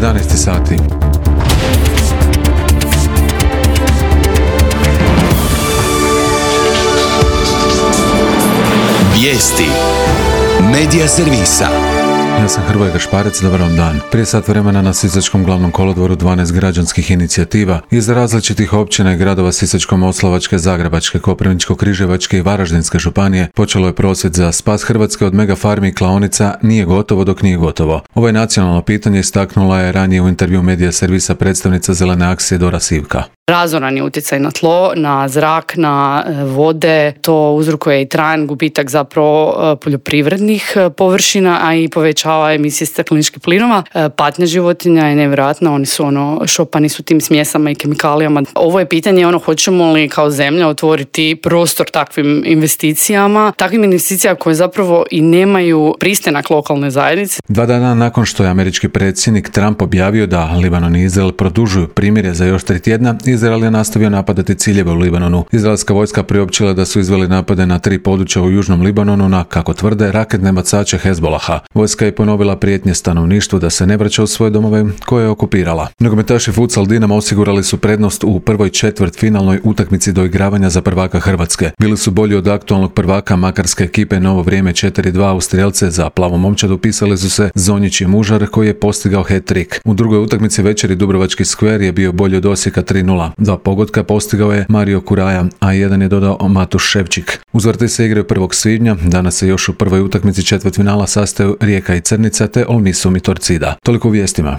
11 sati. Vijesti Medija servisa. Ja sam Hrvoje Gašparec, dobar vam dan. Prije sat vremena na Sisačkom glavnom kolodvoru 12 građanskih inicijativa iz različitih općina i gradova Sisačko-moslavačke, Zagrebačke, Koprivničko-križevačke i Varaždinske županije počelo je prosvjed za spas Hrvatske od megafarmi i klaonica Nije gotovo dok nije gotovo. Ovo je nacionalno pitanje istaknula je ranije u intervju Medija servisa predstavnica Zelene akcije Dora Sivka. Razoran je utjecaj na tlo, na zrak, na vode, to uzrokuje i trajan gubitak zapravo poljoprivrednih površina, a i povećava emisije stakleničkih plinova. Patnja životinja je nevjerojatna, oni su šopani su tim smjesama i kemikalijama. Ovo je pitanje hoćemo li kao zemlja otvoriti prostor takvim investicijama, koje zapravo i nemaju pristanak lokalne zajednice. 2 dana nakon što je američki predsjednik Trump objavio da Libanon i Izrael produžuju primirje za još 3 tjedna, Izrael je nastavio napadati ciljeve u Libanonu. Izraelska vojska priopćila da su izveli napade na 3 područja u južnom Libanonu na, kako tvrde, raketne bacače Hezbolaha. Vojska je ponovila prijetnje stanovništvu da se ne vraća u svoje domove koje je okupirala. Nogometaši futsal Dinama osigurali su prednost u prvoj četvrtfinalnoj utakmici doigravanja za prvaka Hrvatske. Bili su bolji od aktualnog prvaka makarske ekipe Novo vrijeme 4-2 u strijelce. Za plavu momčad upisali su se Zonjić i Mužar koji je postigao hat-trick. U drugoj utakmici večeri Dubrovački Skver je bio bolji od Osijeka 3-0. 2 pogotka postigao je Mario Kuraja, a 1 je dodao Matuš Ševčik. Uzvrti se igraju 1. svibnja, danas se još u prvoj utakmici četvrtfinala sastaju Rijeka i Crnica te Olmisum i Torcida. Toliko u vijestima.